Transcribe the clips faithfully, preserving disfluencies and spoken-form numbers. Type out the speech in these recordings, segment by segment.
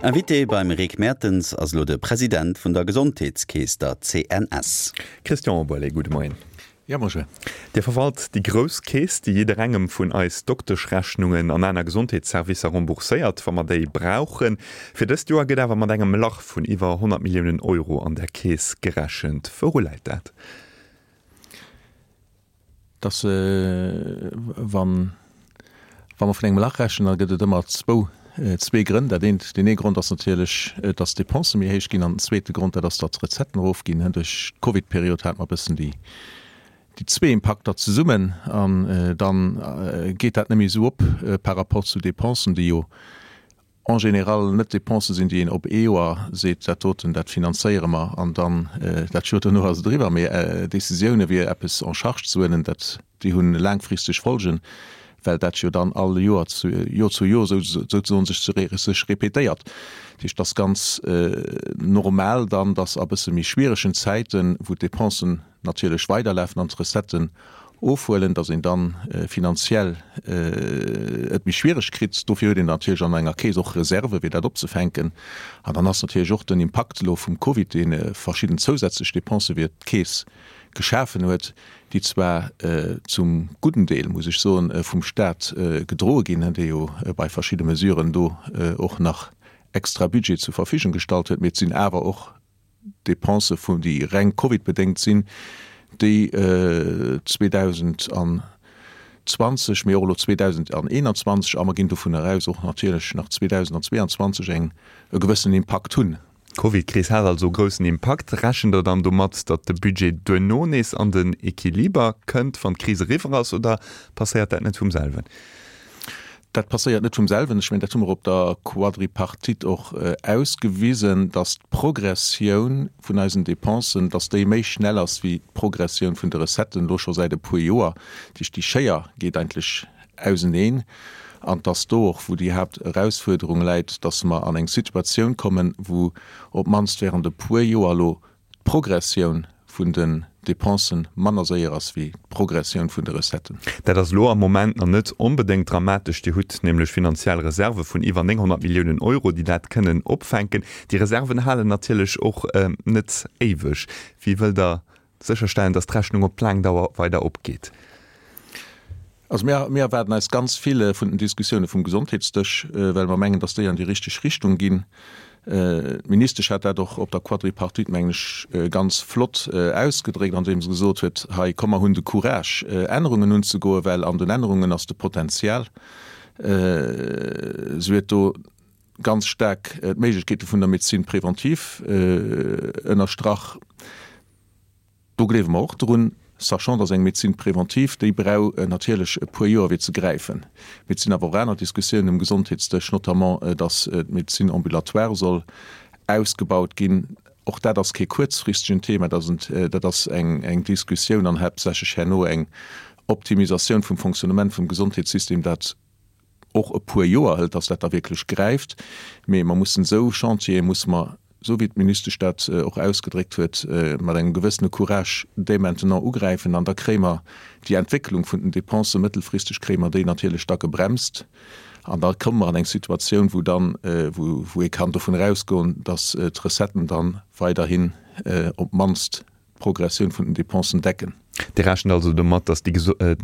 Invité beim Rick Mertens ass elo de President vun der Gesondheetskeess, der C N S. Christian Oberlé, gudde Moien. Ja, bonjour. Dir verwalt déi grouss Keess, déi jidderengem vun eis Dokteschrechnungen an aner Gesondheetsservicer rembourséiert, wa mer déi brauchen. Fir dëst Joer gëtt awer mat engem Lach vun iwwer honnert Milliounen Euro an der Keess gerechent. Wouru läit dat? Dass äh, wann wa mer vun engem Lach rechnen, da gëtt et ëmmer zwou äh, zwee Grënn. Dat eent, deen ee Grond ass natierlech, äh, dass d'Depensë méi héich ginn, an den zweete Grond, dat ass, datt d'Recetten erofginn. Duerch d'Covid-Period hat mer e bëssen déi déi zwee Impakter zesummen an äh, dann äh, geet dat net méi esou op äh, par rapport zu Depensen, déi jo en général net Depensë sinn, déi een op ee Joer seet, dat doten, dat finanzéiere mer an dann äh, dat Joer duerno ass et eriwwer. Mee äh, Decisioune wéi eppes en charge ze huelen, dat déi hunn laangfristeg Folgen, well dat jo dann all Joer zu Joer zu Joer sou souzesoen sech sech repetéiert. Dat heescht, dat ass ganz äh, normal dann, dass a bësse méi schwieregen Zäiten, wou d'Depensen natierlech weiderlafen an d'Recetten ofhuelen, dass een dann äh, finanziell äh, et méi schwiereg kritt. Dofir huet een natierlech an enger Keess och Reserve fir dat opzefänken. An dann ass natierlech och den Impakt elo vum Covid, deen äh, verschidden zousätzlech Depensë fir d'Keess geschafen huet, déi zwar äh, zum gudden Deel, muss ech soen, äh, vum Staat äh, gedroe ginn, dee jo äh, bei verschidde Mesuren do äh, och nach extra Budget zur Verfügung gestallt huet, mee et sinn awer och Depensë vun déi reng Covid-bedéngt sinn, déi äh, zweedausendzwanzeg, mee och elo zweedausendeenanzwanzeg, a mer ginn dovunner aus och natierlech nach zweedausendzweeanzwanzeg eng e gewëssen Impakt hunn. D'Covid-Kris hat also groussen Impakt. Rechent Der dann domat, datt de Budget duerno nees an den Equiliber kënnt, wann d'Kris eriwwer ass, oder passéiert dat net vum selwen? Dat passéiert net vum selwen. Ech mengen, dat hu mer op der Quadripartite och ausgewisen, datt d'Progressioun vun eisen Dépensen, datt déi méi schnell ass wéi d'Progressioun vun de Recetten, elo scho säit e puer Joer. Dat heescht, déi Schéier geet eigentlech auseneen. An datt do och, wou déi Haapterausfuerderung läit, datt mer an eng Situatioun kommen, wou op d'mannst während e puer Joer elo d'Progressioun vun den Dépensen manner séier ass wéi d'Progressioun vun de Recetten. Dat ass elo am Moment nach net onbedéngt dramatesch. Dir hutt nämlech finanziell Reserve vun iwwer nénghonnert Milliounen Euro, déi dat kënnen opfänken. Déi Reserven halen natierlech och net éiweg. Wéi wëllt Der sécherstellen, datt d'Rechnung op laang Dauer weider opgeet? Also mir, mir erwaarden eis ganz vill vun den Diskussioune vum Gesondheetsdësch, well mer mengen, datt déi an déi richteg Richtung ginn. D'Ministesch hat dat och op der Quadripartite, mengen ech, ganz flott ausgedréckt, andeem se gesot huet, hei komm mer hunn de Courage, Ännerungen unzegoen, well an den Ännerungen ass de Potenzial. Si huet do ganz staark d'Méiglechkeete vun der Médecine préventive ënnerstrach. Do gleewe mer och drun, sachant dass eng Médecine préventive, déi brauch natierlech e puer Joer fir ze gräifen. Mee et sinn awer och aner Diskussiounen um Gesondheetsdësch, notamment dass d'Médecine ambulatoire soll ausgebaut ginn. Och dat ass kee kuerzfristegen Thema, dat ass eng Diskussioun an haaptsächlech herno eng Optimisatioun vum Fonctionnement vum Gesondheetssystem, dat och e puer Joer hëlt, dass dat da wierklech gräift. Mee mer mussen esou Chantiere musse mer, esou wéi d'Ministesch dat och ausgedréckt huet, mat engem gewëssene Courage dès maintenant ugräifen an da kréie mer déi Entwécklung vun den Dépensen mëttelfristeg kréie mer déi natierlech da gebremst an da komme mer an eng Situatioun, wou dann, wou ee kann dovun erausgoen, dass d'Recetten da weiderhin op d'mannst d'Progressioun vun den Dépensen decken. Dir rechent also domat, datt déi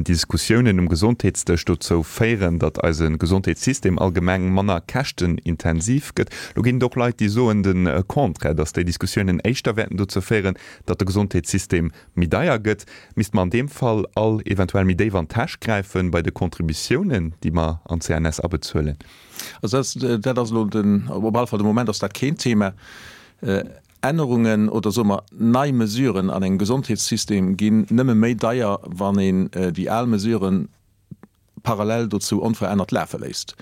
Diskussiounen um Gesondheetsdësch dozou féieren, datt eise Gesondheetssystem allgemeng manner käschtenintensiv gëtt. Lo ginn et och Leit, déi soen de Contraire, datt déi Diskussiounen éischter wäerten dozou féieren, datt de Gesondheetssystem méi deier gëtt. Misste mer an deem Fall all eventuell méi déif an d'Täsch gräifen bei de Contributiounen, déi mer an d'C N S abezuelen? Also dat ass elo den, op alle Fall de Moment ass dat keen Thema. Ännerungen oder soe mer nei Mesuren an engem Gesondheetssystem ginn nëmme méi deier, wann een déi al Mesuren parallel dozou onverännert lafe léisst.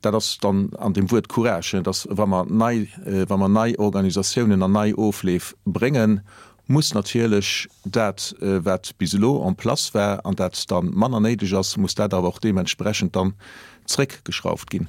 Dat ass dann an deem Wuert Courage, dass wa mer nei, wa mer nei Organisatiounen an nei Ofleef bréngen, muss natierlech dat, wat bis elo en place war an dat da manner néideg ass, muss dat awer och deementsprechend dann zréckgeschrauft ginn.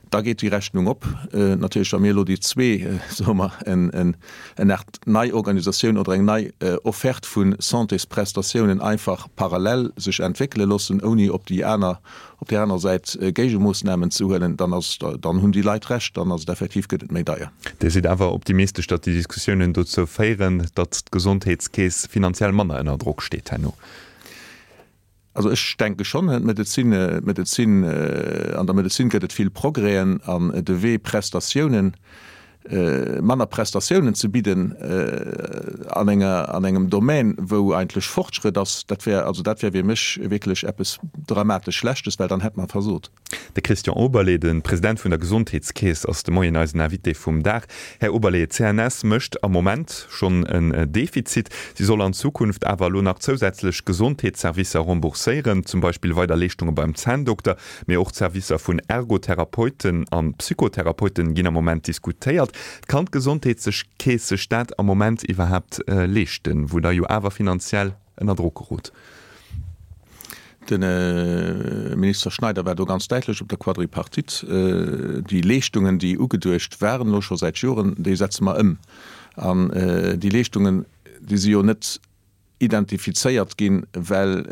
Da geet déi Rechnung op. Natierlech, wa mir elo déi zwee, soe mer, en Aart nei Organisatioun oder eng nei Offerte vu Santésprestatiounen einfach parallel sech entwéckele loossen, ouni op déi aner, op där anerer Säit Géigemoossnamen ze huelen, dann ass, dann hunn déi Leit Recht, dann ass et effektiv, gëtt et méi deier. Dir sidd awer optimistesch, datt déi Diskussiounen dozou féieren, datt d'Gesondheetskeess finanziell manner ënner Drock steet herno? Also ech denke schonn, d'Medezin, d'Medezin, an der Medezin gëtt et vill Progrèsen an de Wee Prestatiounen, manner Prestatiounen ze bidden an enger, an engem Domän wou eigentlech Fortschrëtt ass, dat wär, also dat wär fir mech wierklech eppes dramatesch Schlechtes, well dann hätt mer versot. De Christian Oberlé, de President vun der Gesondheetskeess, ass de Moien eisen Invité vum Dag. Här Oberlé, d'CNS mécht am Moment schonn en Defizit. Si soll an Zukunft awer elo nach zousätzlech Gesondheetsservicer rembourséieren, zum Beispill weider Leeschtunge beim Zänndokter, mee och d'Servicer vun Ergotherapeuten a Psychotherapeuten ginn am Moment diskutéiert. Kann d'Gesondheetskeess sech dat am Moment iwwerhaapt leeschten, wou Der jo awer finanziell ënner Drock gerot? De Minister Schneider war do ganz däitlech op der Quadripartite, Déi Leeschtungen, déi ugeduecht waren elo scho säit Joren, déi setze mer ëm. An déi Leeschtungen, déi si jo net identifizéiert ginn, well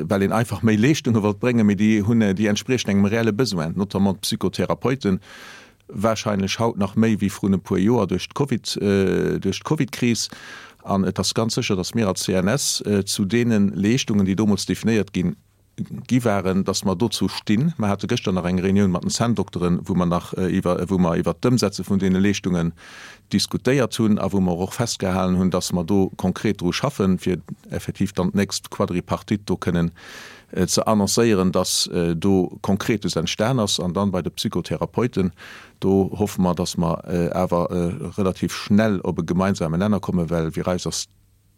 well een einfach méi Leeschtunge wollt bréngen, mee déi hunn, déi entspriechen engem reelle Besoin, notamment d'Psychotherapeuten, wahrscheinlech haut nach méi wéi vrun e puer Joer duerch d'Covid, duerch d'Covidkris. An et ass ganz sécher, datt mir als C N S zu deene Leeschtungen, déi deemools definéiert ginn, gi waren, datt mer dozou stinn. Mer hate gëschter nach eng Reunioun mat den Zänndokteren, wou mer nach iwwer, wou mer iwwert d'Ëmsetze vun deene Leeschtungen diskutéiert hunn a wou mer och festgehalen hunn, datt mer do konkret dru schaffen, fir effektiv dann d'nächst Quadripartite do kënnen ze annoncéieren, datt do Konkretes entstan ass. An dann bei de Psychotherapeuten, do hoffe mer, datt mer awer relativ schnell op e gemeinsamen Nenner kommen, well fir eis ass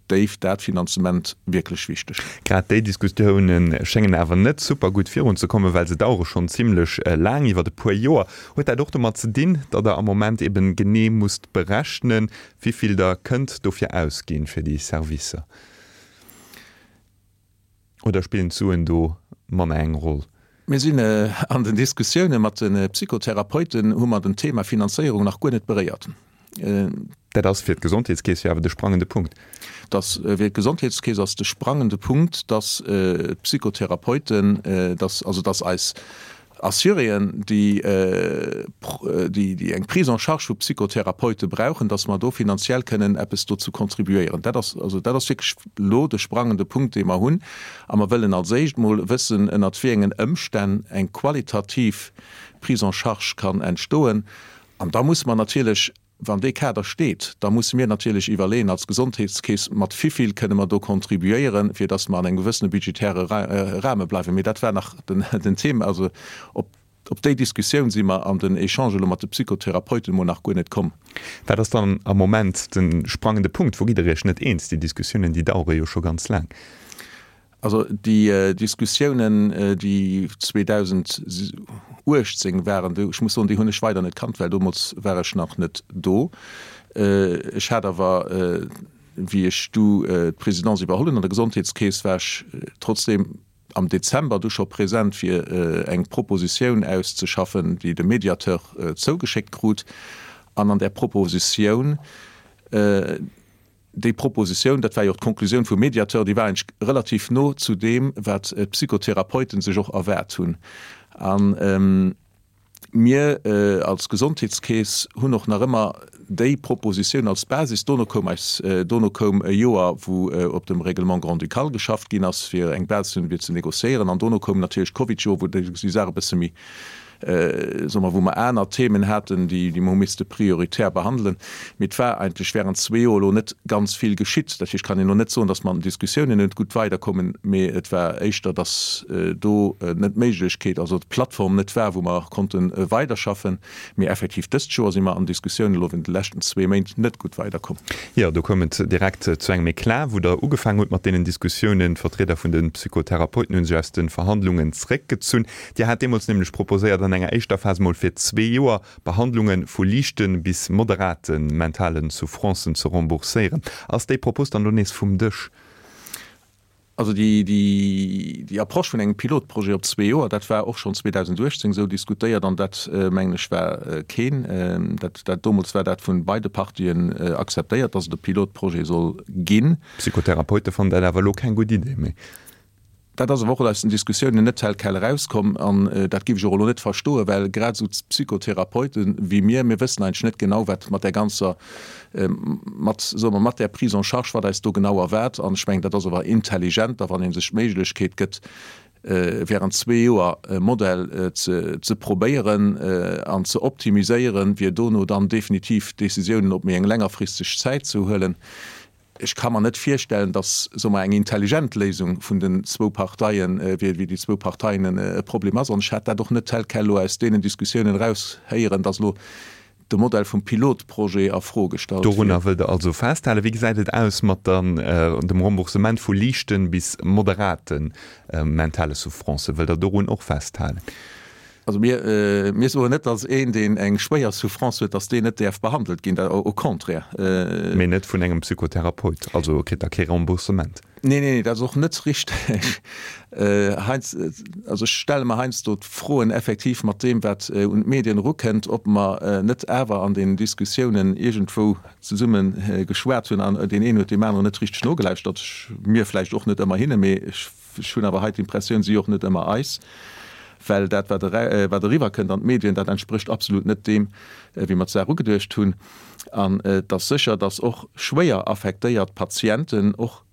déif dat Finanzement wierklech wichteg. Grad déi Diskussioune schéngen awer net super gutt virunzekommen, well se dauere schonn zimmlech laang, iwwer e puer Joer. Huet dat och domat ze dinn, datt Der am Moment eben genee musst berechnen, wéi vill Der kënnt dofir ausginn, fir déi Servicer? Oder spillen d'Suen do manner eng Roll? Mir sinn an den Diskussioune mat de Psychotherapeuten, hu mer den Thema Finanzéierung nach guer net beréiert. Dat ass fir d'Gesondheetskeess jo awer de sprangende Punkt. Dass fir d'Gesondheetskeess ass de sprangende Punkt, dass d'Psychotherapeuten, dass also dass eis Assuréen, déi déi eng Prise en charge vu Psychotherapeute brauchen, dass mer do finanziell kënnen eppes dozou contribuéieren. Dat ass also dat ass wierklech elo de sprangende Punkt, dee mer hunn. A mer wëllen als éischt mol wëssen, ënnert wéi engen Ëmstänn eng qualitativ Prise en charge kann entstoen. An da musse mer natierlech, wann dee Kader steet, da musse mir natierlech iwwerleeën als Gesondheetskeess, mat wivill kënne mer do contribuéieren, fir dass mer an engem gewëssene budgetäre Rahme bleiwen. Mee dat war nach den Thema, also op op déi Diskussioun si mer an den Echange elo mat de Psychotherapeuten emol nach guer net komm. Wat ass dann am Moment de sprangende Punkt? Wou gitt Der Iech net eens? Déi Diskussiounen, déi dauere jo scho ganz laang. Also déi Diskussiounen, déi zweedausenduechtzéng waren, ech muss soen, déi hunn ech weider net kannt, well deemools war ech nach net do. Ech hat awer, wéi ech du d'Presidence iwwerholl hunn an der Gesondheetskeess, war ech trotzdeem am Dezember du scho present, fir eng Propositioun auszeschaffen, déi de Mediateur zougeschéckt krut. An an där Propositioun, Déi Propositioun, dat war jo och d'Konklusioun vum Mediateur, déi war eigentlech relativ no zu deem, wat d'Psychotherapeuten sech och erwaart hunn. A mir als Gesondheetskeess hunn och nach ëmmer déi Propositioun als Basis. Dono koum eis, dono koum e Joer, wou op dem Règlement grand-ducal geschafft ginn ass, fir eng Basis ze hunn, fir ze négociéieren. An dono koum natierlech d'Covidjoer, wou déi Saach e bësse méi, soe mer, wou mer aner Themen haten, déi mer hu misste prioritär behandelen. Mee et war eigentlech während zwee Joer elo net ganz vill geschitt. Dat heescht, kann een elo net soen, datt mer an den Diskussiounen net gutt weiderkommen, mee et war éischter, datt do net d'Méiglechkeet, also d'Plattform net war, wou mer konnte weiderschaffen. Mee effektiv dëst Joer si mer an Diskussiounen elo während de leschten zwee Méint net gutt weiderkomm. Jo, do koum et direkt zu engem Eclat, wou Der ugefaangen hutt mat deenen Diskussiounen. D'Vertrieder vun de Psychotherapeuten hu sech aus de Verhandlungen zréckgezunn. Dir hat deemools nämlech proposéiert, an enger éischter Phas mol fir zwee Joer Behandlunge vu liichte bis moderate mentale Souffrancen ze rembourséieren. Ass déi Propos dann elo nees vum Dësch? Also déi, déi, déi Approche vun engem Pilotprojet op zwee Joer, dat war och schonn zweedausendachtzéng esou diskutéiert an dat, mengen ech, war keen, dat, dat deemools war dat vun beide Partien akzeptéiert, dass et e Pilotprojet soll ginn. D'Psychotherapeute fannen dat awer elo keng gutt Idee méi. Dat ass awer och aus den Diskussiounen net tel quel erauskomm an dat géif ech och elo net verstoen, well grad esou d'Psychotherapeute wéi mir, mir wëssen eigentlech net genau, wat mat där ganzer, mat, soe mer, mat där Prise en charge, wat eis do genau erwaart. An ech mengen, dat ass awer intelligenter, wann ee sech d'Méiglechkeet gëtt, während zwee Joer e Modell ze ze probéieren an ze optimiséieren, fir dono dann definitiv Décisiounen op méi eng längerfristeg Zäit ze huelen. Ech ka mer net virstellen, datt, soe mer, eng intelligent Léisung vun den zwou Parteien, wéi déi zwou Parteien e Problem ass. An ech hat dat och net tel quel elo aus deenen Diskussiounen eraushéieren, datt elo de Modell vum Pilotprojet a Fro gestallt wier. Dorunner wëllt Der also festhalen. Wéi gesäit et aus mat dem Remboursement vu liichten bis moderate mentale Souffrancen? Wëllt Der dorun och festhalen? Also mir, mir soen net, datt een, deen eng schwéier Souffrance huet, datt deen net däerf behandelt ginn, au contraire. Mee net vun engem Psychotherapeut, also e kritt da kee Remboursement. Nee, nee, dat ass och net richteg. Heiansdo, also ech stelle mer heiansdo d'Froen effektiv mat deem, wat un d'Medien erukënnt, ob mer net awer an den Diskussiounen iergendwou zesumme geschwat hunn an deen een huet deem aneren net richteg nogelauschtert. Mir vläicht och net ëmmer hinne, mee ech hunn awer hei d'Impressioun, si och net ëmmer eis. Well dat, wat wat eriwwerkënnt an d'Medien, dat entsprécht absolut net deem, wéi mer d'Saach ugeduecht hunn. An et ass sécher, datt och schwéier affektéiert Patienten och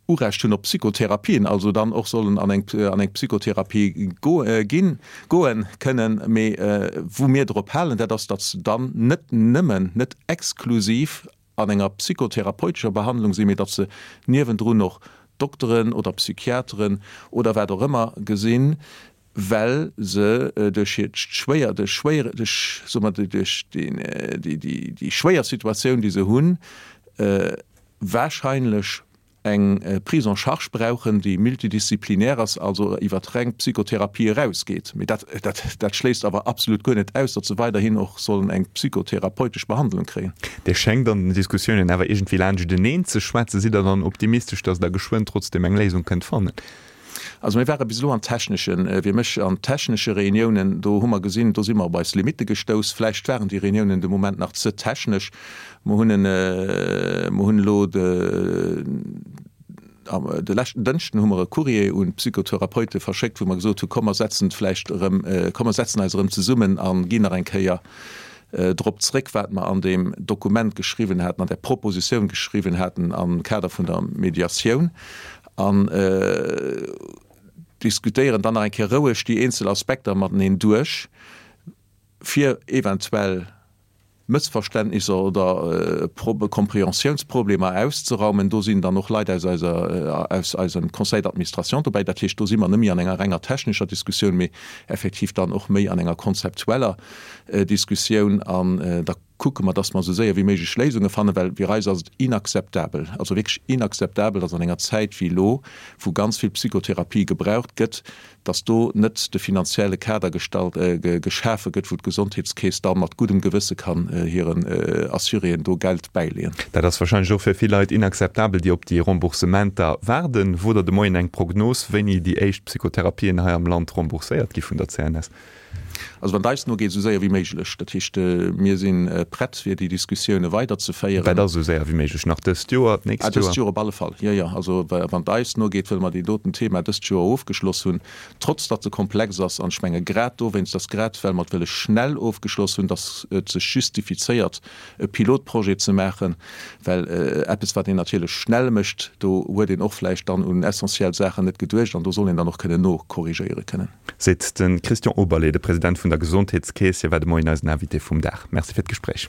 Urecht hunn op Psychotherapien, also dann och sollen an eng an eng Psychotherapie ginn, goen kënnen. Mee wou mir drop halen, dat ass, datt se dann net nëmmen, net exklusiv an enger psychotherapeutescher Behandlung sinn, mee datt se niewendrun och Dokteren oder Psychiateren oder wat och ëmmer gesinn, well se duerch hiert schwéier, duerch schwéier, duerch, soe mer, duerch déi, déi, déi schwéier Situatioun, déi se hunn, wahrscheinlech eng Prise en charge brauchen, déi multidisziplinär ass, also iwwer reng Psychotherapie erausgeet. Mee dat, dat, dat schléisst awer absolut guer net aus, datt se weiderhin och sollen eng psychotherapeutesch Behandlung kréien. Dir schéngt an den Diskussiounen awer iergendwéi laanschteneen ze schwätzen. Sidd Der dann optimistesch, datt Der geschwënn trotzdem eng Léisung kënnt fannen? Also mir ware bis elo an techneschen, wéi mech, an technesche Reuniounen, do hu mer gesinn, do si mer op eis Limitte gestouss. Vläicht waren déi Reuniounen de Moment nach ze technesch. Mer hunn en, mer hunn elo de, de leschten Dënschden hu mer e Courrier un d'Psychotherapeute verschéckt, wou mer gesot hu komm mer setzen vläicht erëm, komm mer setzen eis erëm zesummen a ginn nach eng Kéier drop zréck, wat mer an deem Dokument geschriwwen haten, an där Propositioun geschriwwen haten am Kader vun der Mediatioun. An diskutéieren dann nach eng Kéier roueg déi eenzel Aspekter mateneen duerch, fir eventuell Mëssverständnisser oder Compréhensiounsproblemer auszeraumen. Do sinn dann och Leit aus eiser, aus eisem Conseil d'administration dobäi. Dat heescht, do si mer net méi an enger renger technescher Diskussioun, mee effektiv dann och méi an enger konzeptueller Diskussioun. An da kucke mer, dass mer esou séier wéi méiglech Léisunge fannen, well fir eis ass et inakzeptabel, also wierklech inakzeptabel, dass an enger Zäit wéi elo, wou ganz vill Psychotherapie gebraucht gëtt, dass do net de finanzielle Kader gestallt, geschafe gëtt, wou d'Gesondheetskeess da mat guddem Gewësse kann hiren Assuréen do Geld bäileeën. Dat ass wahrscheinlech och fir vill Leit inakzeptabel, déi op déi Remboursementer waarden. Wot Der de Moien eng Prognos, wéini déi éischt Psychotherapien hei am Land rembourséiert gi vun der C N S? Also wann et eis nogeet, esou séier wéi méiglech. Dat heescht, mir si prett, fir déi Diskussioune weiderzeféieren. Wat ass esou séier wéi méiglech? Nach dëst Joer, d'nächst Joer? Dëst Joer op alle Fall, jo, jo. Also wann et eis nogeet, wëlle mer deen doten Thema dëst Joer ofgeschloss hunn, trotz datt se komplex ass. An ech menge grad dowéinst, dass grad well mer et wëlle schnell ofgeschloss hunn, datt et sech justifizéiert, e Pilotprojet ze maachen, well eppes, wat een natierlech schnell mécht, do huet een och vläicht dann un essentiell Saachen net geduecht an do soll een dann och kënnen nokorrigéiere kënnen. Seet de Christian Oberlé, de President vun der Gesondheetskeess. Hie war de Moien eisen Invité vum Dag. Merci fir d'Gespréich.